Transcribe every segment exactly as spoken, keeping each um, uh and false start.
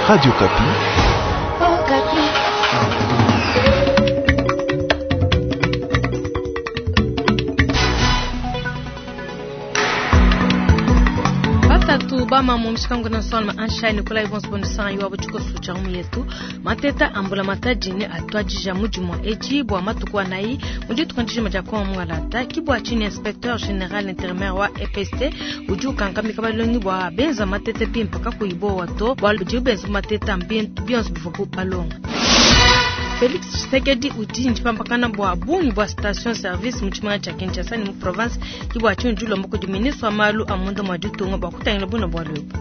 Radio Okapi. Oh, Okapi. Batatu bama mushikangu na solma anshai Nikolai Vons Bonsan yuwa buchiko sucha umu yetu mateta ambula matajini atwajija mujimu eji bwa matuku anayi mudi tukandiji majakwa mungalata kibwa chini inspecteur général intérimaire wa E P S T udi ukankamika balongi bwa benza matete pimpa kakuibo wato bwa udi benza mateta mbintu bionso bivuku balonga. Felix Tshisekedi udi njipampakana bwa bungi bwa station service mu tshimenga tshia Kinshasa ni mu province kibwa chini julombo kudi ministre wa malu a munda mwa ditunga bwa kutangila buna bwa lwebu.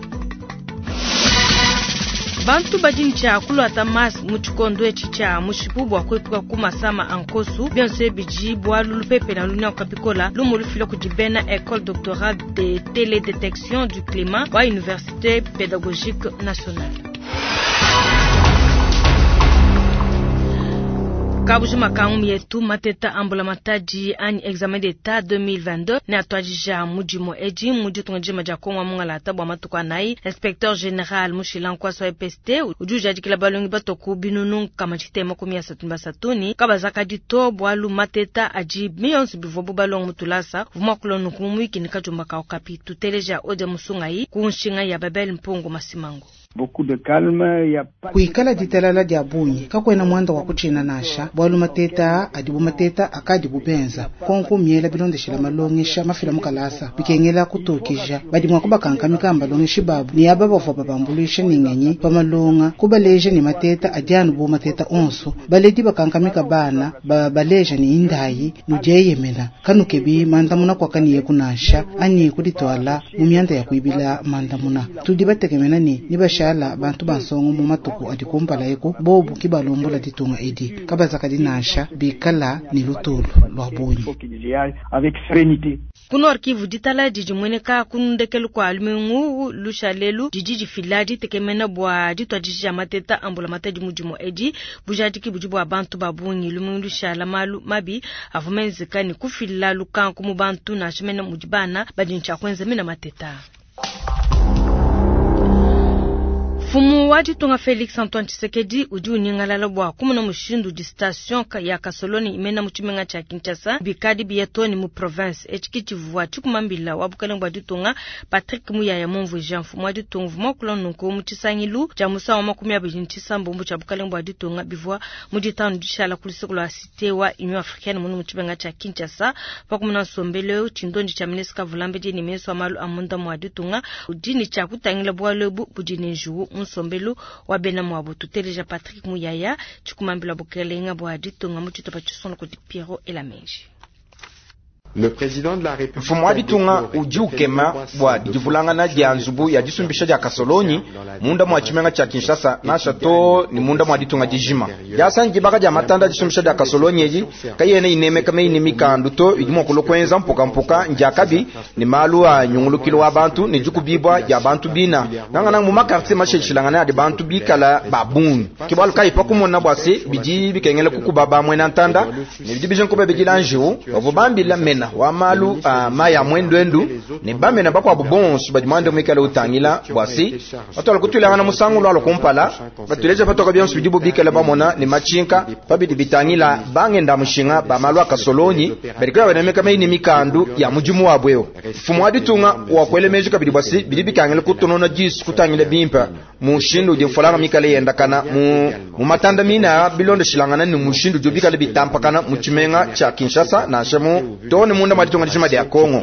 Bantu badi ntshia kulwata mas mu tshikondo etshi tshia mushipu bwa kwepuka ku masama a nkosu bionso bidi bwalu lupepe na lunya kapikola lumu lufila kudi bena école doctorale de télédétection du climat wa université pédagogique nationale. Kabujuma kangu yetu mateta ambula mataji anyi examen d'etat deux mille vingt-deux ne atwajija mudimo eji mudi tunga ja Kongo mungalata bwa matuku anayi inspecteur général mushila nkwaso wa E P S T udi ujadikila balongi batoku binunu kama tshitema kumi ya satuni basatuni kabazaka dito bwalu mateta aji mionso bivua bu balongi mutulasa vuma kulonu kumwiki ni kajumba ka okapi tuteleja ode musungayi ku nshinga ya Babel Mpungu Masimango. Beaucoup de calme, y a pas kuikala ditalala dia bungi kakwena mwanda wa kuchina nasha bwalu mateta adibu mateta akadi bubenza konko miela bilondeshela malongesha mafila mukalasa bikengela kutokija badi mwa kubakankamika mbalongeshi babu ni aba bavua babambulisha ningenyi pamalonga kubaleja ni mateta adianu bu mateta onso baledi bakankamika bana babaleja ni indayi nujeyemena kanukebi mandamuna kwakaniye kunasha ani kuditwala mu myanda ya kuibila mandamuna tudi batekemena ni nibasha ala bantu bansongo mu matuku adi kumpala eko bobu kibalombola ditunga edi kabazaka dinasha bikala ni lutulu lwa bunyi. Avec sérénité. Kuno arkivu ditala didi mweneka kunundekelu kwa lumingu lushalelu didi difila ditekemena bwa ditwa didi ya mateta ambula matadi mudimo edi bujadiki budi bwa bantu babungi lumingu lushala malu mabi avumenzeka ni kufila lukanku mu bantu nashimena mudibana badi ntsha mina mateta. Fumu wa ditunga Felix Antoine Tshisekedi udi unyingalala bwa kumuna mushindu di station ya Kasoloni imena mu tshimenga tshia Kinshasa bikadi biyatoni mu province etshi tshivua tshikumambila wa bukalenge bwa ditunga Patrick Muyaya mumvuija mfumu wa ditunga vuma kulonunku mu tshisangilu tshia musangu wa makumi abidi ne tshisambombo tshia bukalenge bwa ditunga bivua mu ditanu dishala ku luseke lua cité wa Union Africaine munu mu tshimenga tshia Kinshasa pa kumuna nsombelu tshindondi tshia ministre Kavulambedi ne ministre wa malu a munda mwa ditunga udi ne tshia kutangila bualu ebu budi ne njuwu nsombelu wa bena mwabo tuteleja Patrick Muyaya tshikumambila bukelenga bwa ditunga mu tshitupa tshisongo kudi Pierrot Elamenji. Le président de la République mfumu wa ditunga udi ukema bwa divulangana dia nzubu ya disumbisha dia Kasolonyi munda mwa tshimenga tshia Kinshasa nasha to ni munda mwa ditunga dijima diasangi baka dia matanda disumbisha dia Kasolonyi edi kayene inemeka meine mikandu to idi mua kulokwenza mpukampuka ndiakabi ni malu a nyungulukilo wa bantu ne dikubibwa dia bantu bina nangana mu makartier masheshilangana adi bantu bikala babungi kibalu kayi pa kumona bwa se bidi bikengela kukuba bamwena ntanda ne bidi bijenkobe bidila njiwu bavua bambila mena wa malu a maya mwendwendu ne bamena bakwabu bonso badi mwande mwikale utangila bwasi batwala kutwilangana musangu lwalo kumpala batuleja patoka bionso bidi bubikale bamona ne machinka pabidi bitangila bangenda mushinga ba malu a Kasolonyi badikala banemeka meini mikandu ya mudimu wabwe eo mfumu wa ditunga wakwelemeji kabidi bwasi bidi bikangila kutonona disu kutangila bimpa mushindu udi mfolanga mikale yendakana mu mu matanda mina bilondeshilangana ne mushindu udi bikale bitampakana mu tshimenga tshia Kinshasa nansha mu to ne munda mwa ditunga dijima dia Kongo.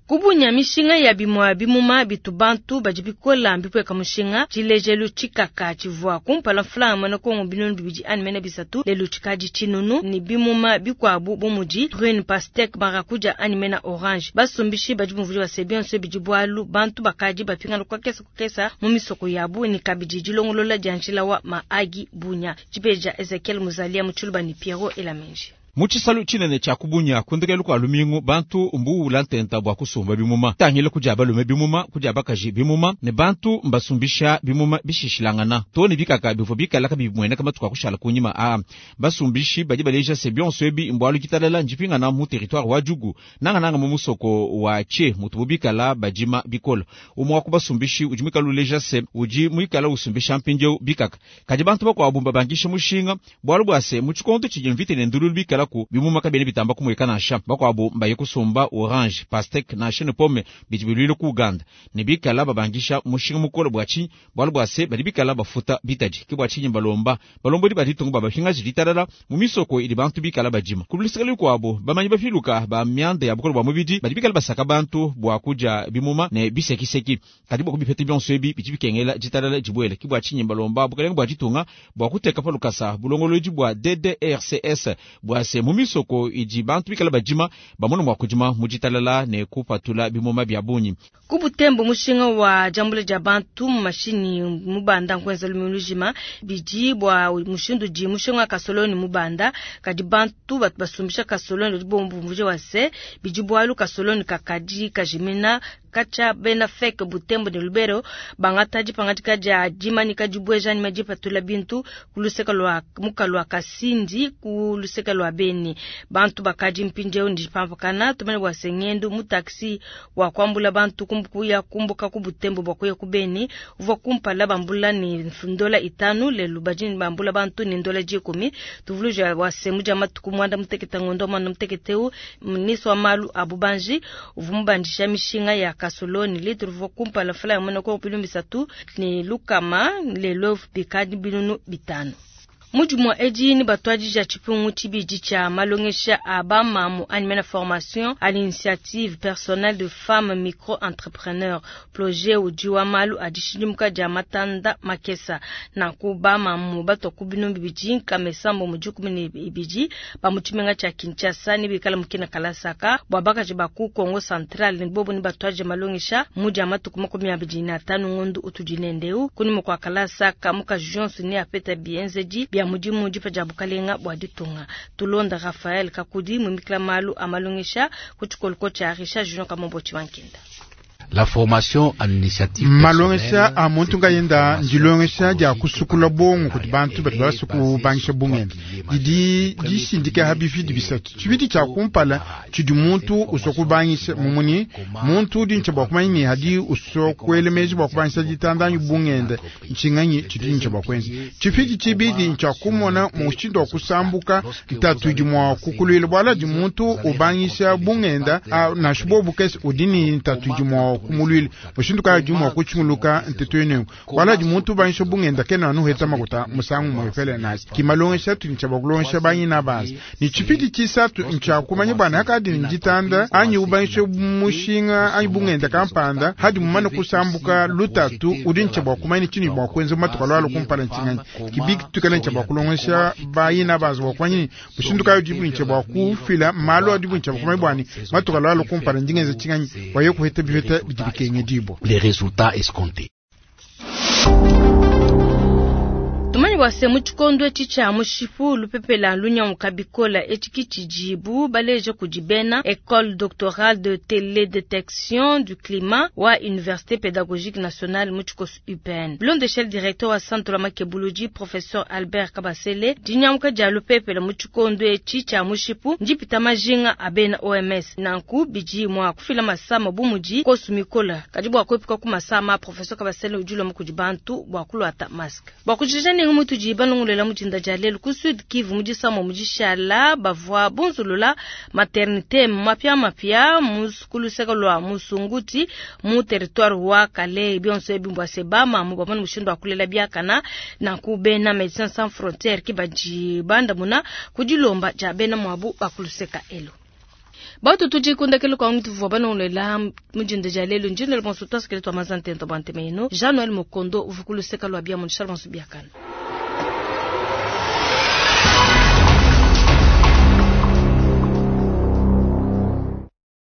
Kubunya mishinga ya bimwa bimuma bitu bantu badi bikola mbipweka mushinga tshilejelu tshikaka tshivua kumpala mfulanga na Kongo binunu bibidi ani mena bisatu lelu tshikadi tshinunu ni bimuma bikwabu bumudi prune pastèque marakuja ani mena orange basumbishi badi bumvuli base bionso bidi bwalu bantu bakadi bapingana kwa kesa kukesa mu misoko yabu ni kabidi dilongolola dia njila wa maagi bunya tshipeja Ezekiel Muzalia mu Tshiluba ni Pierrot Elamenji. Mu tshisalu tshinene tshia kubunya kundekelu kua lumingu bantu mbuwula ntenta bua kusumba bimuma tangila kudia balume bimuma kudia bakaji bimuma ne bantu mbasumbisha bimuma bishishilangana to ne bikaka bivua bikala kabimueneka matuku akushala kunyima a basumbishi badi baleja se bionso ebi mbwalu kitalala njipingana mu territoire wa Djugu nangananga mu musoko wa Tche mutubu bikala badima bikola umwe wa kubasumbishi udi mwikala uleja se udi mwikala usumbisha mpindieu bikaka kadi bantu bakuabu mbabangisha mushinga bwalu bua se mu tshikondo tshidi mvita ne ndululu bikala ku bimuma kabene bitamba kumweka nansha bakuabu mbaye kusumba orange pastèque nansha ne pomme bidi bilwile ku Uganda ne bikala babangisha mushinga mukolo bua tshinyi bwalu bua se badi bikala bafuta bitadi ke bua tshinyi balomba balombodi baditungu babapingaji ditalala mu misoko idi bantu bikala badima kululisikali kuabo bamanyi bafiluka ba myanda ya bukolo bua mubidi badi bikala basaka bantu bua kudia bimuma ne bisekiseki kadi bua kubipeta bionso ebi bidi bikengela ditalala dibuele ke bua tshinyi balomba bukalenga bua ditunga bua kuteka pa lukasa bulongolodi bua D D R C S bua se mu misoko idi bantu bikala badima bamona mua kudima mu ditalala ne kupatula bimuma bia bungi. Ku Butembo mushinga wa jambule dia bantu mu mashini mubanda nkwenza lumulujima bidi bua mushindu di mushinga kasoloni mubanda kadi bantu batu basumbisha kasoloni badi bombumvuje wase bidi bwalu kasoloni kakadi kajimina kacha bena feke Butembo ne Lubero bangata dipangadika dia dimanika dibweja ni madipatula bintu kuluseka lwa mukalwa Kasindi kuluseka lwa Beni bantu bakadi mpindieu ndipampakana tumene bwa sengendo mu taxi wa kwambula bantu kumbukuya kumbuka ku Butembo bwa kuya ku Beni uvwa kumpala bambula ni ndola itanu lelu bajini bambula bantu ni ndola jikumi tuvuluja wa semu ja matuku mwanda muteketa ngondo mwanda muteketeu mniso wa malu abubanji uvumbandisha mishinga ya kasoloni litru uvwa kumpala fula ya mwana kwa pilu misatu ni lukama lelo bikadi binunu bitano. Mujumu edi ni batwaji ja chipungu chibiji cha malongesha abamamu animena formation à l'initiative personnelle de femmes micro-entrepreneurs projet ujiwa malu adishidimuka ja matanda makesa na kubamamu bato kubinu bibiji kamesambo mujuku ni ibiji ba muchimenga cha Kinshasa ni bikala mukina kalasaka bwa bakaji baku Kongo Central ni bobo ni batwaji malongesha muja matuku makumi abidi na tano ngondu utujinendeu kuni mukwa kalasaka muka Johnson ni apeta bienzeji bya mudimu dipa dia bukalenga bwa ditunga tulonda Raphaël Kakudi mumikla malu amalongesha kuchikoloko cha Richard Junior Kamombo Chibankenda. La formation en initiative malongesha a muntu ngayenda ndilongesha dia kusukula bongo kuti bantu badi basukubangisha bungenda didi dishindika habivi bisatu tshibidi tshia kumpala tshidi muntu usokubangisha mumuni muntu udi ntshia bua kumanya ne hadi usokuelemeji bua kubangisha ditandanyi bungenda ntshinganyi tshidi ntshia bua kuenza tshifidi tshibidi ntshia kumona mushindu wa kusambuka ntatu idi mua kukulwila bwala di muntu ubangisha bungenda nansha bobu kese udi ne ntatu idi mua kumulwile mushindu kaya di mua kutshinguluka ntetu enengo wala di muntu ubangisha bungenda kena anu heta makuta musangu mwefele nasi kimalongesha tu ntshia bua kulongesha banyina bazi ni tshipidi tshisatu ntshia kumanya bwana hakadi nditanda anyi ubangisha mushinga anyi bungenda kampanda hadi mumane kusambuka lutatu udi ntshia bua kumanya tshini bua kuenza matuku alwalo kumpala ntshinganyi kibiki tukala ntshia bua kulongesha bayina bazi bua kumanya mushindu kaya di ntshia bua kufila malu adi ntshia bua kumanya bwani matuku alwalo kumpala ndingenza tshinganyi waye kuheta bipeta les résultats escomptés. Tumanyi wase muchikondo echi cha mushipu lupepela lunyamuka bikola echi kichijibu baleje kujibena École doctorale de télédétection du climat wa Université pédagogique nationale muchikosu U P N. Blonde chef directeur wa centre la makebuluji professeur Albert Kabasele dinyamuka dia lupepela muchikondo echi cha mushipu njipita majinga abena O M S nanku biji mwa kufila masama bumuji kosu mikola kadibu akwepuka ku masama professeur Kabasele ujulo mukujibantu bwa kulwata mask. Bwa kujija ni mutuji banongolela mujinda jalelu ku Sud Kivu mujisamo mujishala bavwa bunzulula maternité mapya mapya musikuluseka lwa musunguti mu territoire wa Kale bionso ebimbwa sebama mu bamana mushindo akulela biakana na kubena Médecins Sans Frontières kibaji banda muna kujilomba jabena mwabu bakuluseka elo. Batu tuji kundakelo kwa mtu vwa banongolela mujinda jalelu njinda bonso taskele twa mazantento bante meno Jean Noël Mokondo uvukuluseka lwa bia munshal bonso biakana.